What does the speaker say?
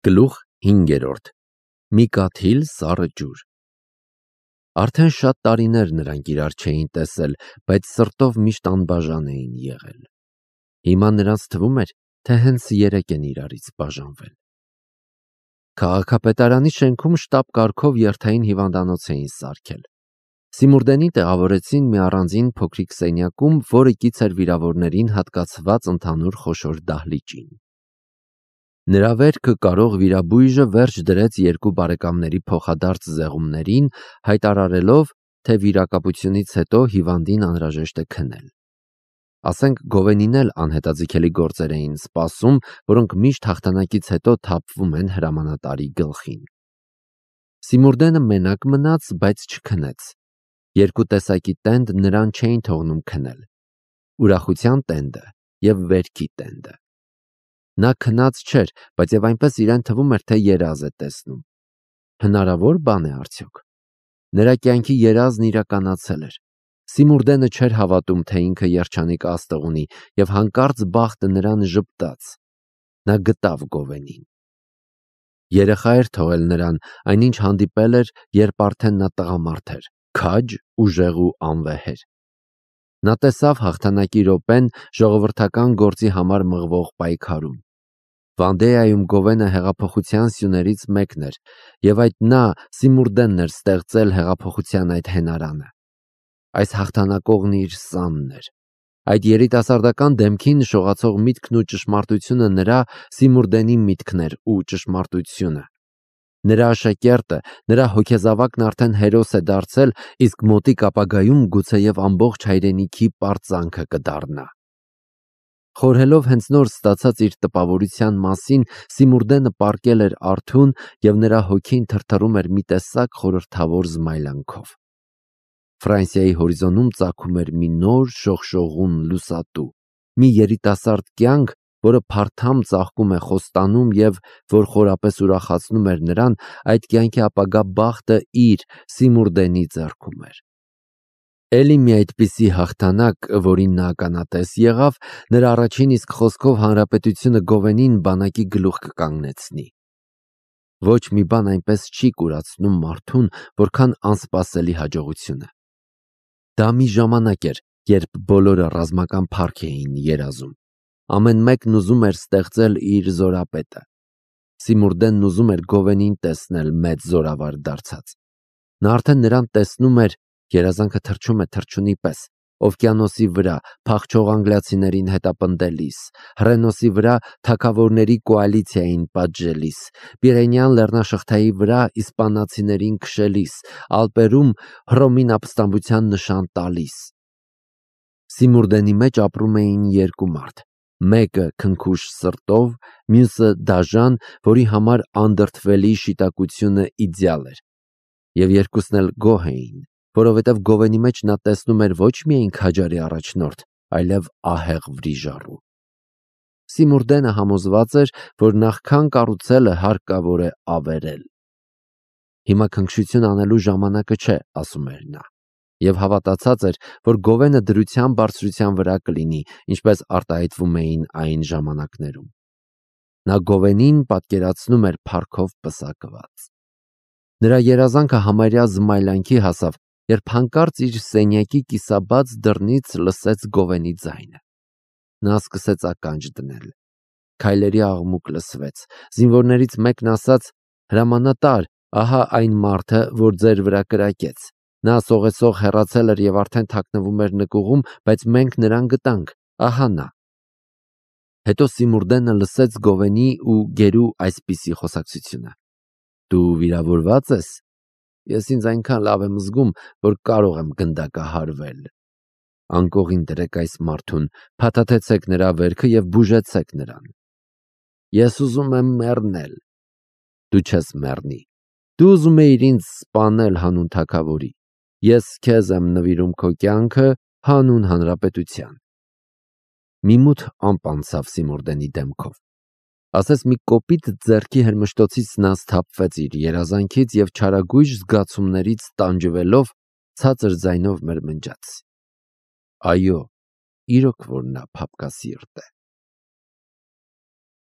Գլուխ 5. Մի կաթիլ սառը ջուր։ Արդեն շատ տարիներ նրանք իրար չէին տեսել, բայց սրտով միշտ անբաժան էին եղել։ Հիմա նրանց թվում էր, թե հենց երեկ են իրարից բաժանվել։ Քաղաքապետարանի շենքում շտապ կարգով երթային հիվանդանոց էին սարքել։ Սիմուրդենին տեղավորեցին մի առանձին փոքրիկ սենյակում, որը կից էր վիրավորներին հատկացված ընդհանուր խոշոր դահլիճին։ Նրա վերքը կարող վիրաբույժը վերջ դրեց երկու բարեկամների փոխադարձ զեղումներին, հայտարարելով, թե վիրակապությունից հետո հիվանդին անհրաժեշտ է քնել։ Ասենք Գովենին էլ անհետաձգելի գործեր էին սպասում, որոնք միշտ հաղթանակից հետո թափվում են հրամանատարի գլխին։ Սիմուրդենը մենակ մնաց, բայց չքնեց։ Երկու տեսակի տենդ նրան չէին թողնում քնել՝ ուրախության տենդը և վերքի տենդը։ Նա քնած չէր, բայց և այնպես իրեն թվում էր, թե երազ է տեսնում։ Հնարավոր բան է արդյոք։ Նրա կյանքի երազն իրականացել էր։ Սիմուրդենը չէր հավատում, թե ինքը երջանիկ աստղ ունի, և հանկարծ բախտը նրան ժպտաց։ Նա գտավ Գովենին։ Երեխա էր թողել նրան, այնինչ հանդիպել էր, երբ արդեն նա տղամարդ էր, քաջ, ուժեղ ու անվեհեր։ Նա տեսավ հաղթանակի րոպեն ժողովրդական գործի համար մղվող պայքարում։ Վանդեայում Գովենը հեղափոխության սյուներից մեկն էր, և այդ նա Սիմուրդենն էր ստեղծել հեղափոխության այդ հենարանը։ Այս հաղթանակողն իր սանն էր։ Այդ երիտասարդական դեմքին նշողացող միտքն ու ճշմարտությունը նրա Սիմուրդենի միտքն էր ու ճշմարտությունը։ Նրա աշակերտը, նրա հոգեզավակն արդեն հերոս է դարձել, իսկ մոտիկ ապագայում գուցեև ամբողջ հայրենիքի պարծանքը կդառնա։ Խորհելով հենց նոր ստացած իր տպավորության մասին, Սիմուրդենը պառկել էր արթուն, և նրա հոգին թրթռում էր մի տեսակ խորհրդավոր զմայլանքով։ Ֆրանսիայի հորիզոնում ծագում էր մի նոր շողշողուն լուսատու, մի երիտասարդ կյանք, որը փարթամ ծաղկում է խոստանում և որ խորապես ուրախացնում էր նրան, այդ կյանքի ապագա բախտը իր Սիմուրդենի ձեռքում էր։ Էլի մի այդպիսի հաղթանակ, որին նա ականատես եղավ, նրա առաջին իսկ խոսքով հանրապետությունը Գովենին բանակի գլուխ կկանգնեցնի։ Ոչ մի բան այնպես չի կուրացնում մարդուն, որքան անսպասելի հաջողությունը։ Դա մի ժամանակ էր, երբ բոլորը ռազմական փառք էին երազում։ Ամեն մեկն ուզում էր ստեղծել իր զորապետը։ Սիմուրդենն ուզում էր Գովենին տեսնել մեծ զորավար դարձած։ Նա արդեն նրան տեսնում էր, երազանքը թռչում է թռչունի պես, օվկիանոսի վրա, փախչող անգլիացիներին հետապնդելիս, Հռենոսի վրա թագավորների կոալիցիային պատժելիս, Պիրենեան լեռնաշղթայի վրա իսպանացիներին քշելիս, Ալպերում Հռոմին ապստամբության նշան տալիս։ Սիմուրդենի մեջ ապրում էին երկու մարդ, մեկը քնքուշ սրտով, մյուսը դաժան, որի համար անդրդվելի շիտակությունը իդեալ էր։ Եվ երկուսն էլ գոհ էին, որովհետև Գովենի մեջ նա տեսնում էր ոչ միայն քաջարի առաջնորդ, այլև ահեղ վրիժառու։ Սիմուրդենը համոզված էր, որ նախքան կառուցելը հարկավոր է ավերել։ Հիմա քնքշություն անելու ժամանակը չէ, ասում էր նա, և հավատացած էր, որ Գովենը դրության բարձրության վրա կլինի, ինչպես արտահայտվում էին այն ժամանակներում։ Նա Գովենին պատկերացնում էր փառքով պսակված։ Նրա երազանքը համարյա զմայլանքի հասավ, երբ հանկարծ իր սենյակի կիսաբաց դռնից լսեց Գովենի ձայնը։ Նա սկսեց ականջ դնել։ Քայլերի աղմուկ լսվեց։ Զինվորներից մեկն ասաց. «Հրամանատար, ահա այն մարդը, որ ձեր վրա կրակեց։ Նա սողեսող հեռացել էր և արդեն թաքնվում էր նկուղում, բայց մենք նրան գտանք, ահա նա»։ Հետո Սիմուրդենը լսեց Գովենի ու գերու այսպիսի խոսակցությունը. «Դու վիրավորված ես։ Ես ինձ այնքան լավ եմ զգում, որ կարող եմ գնդակահարվել։ Անկողին դրեք այս մարդուն, փաթաթեցեք նրա վերքը և բուժեցեք նրան։ Ես ուզում եմ մեռնել»։ Դու չես մեռնի։ Դու ուզում էիր ինձ սպանել հանուն թագավորի։ Ես քեզ եմ նվիրում քո կյանքը հանուն հանրապետության։ Մի մութ ամպ անցավ Սիմուրդենի դեմքով։ Ասես մի կոպիտ ձեռքի հրմշտոցից նա սթափվեց իր երազանքից և չարագույժ զգացումներից տանջվելով ցածր ձայնով մրմնջաց. «Այո, իրոք որ նա փափկասիրտ է»։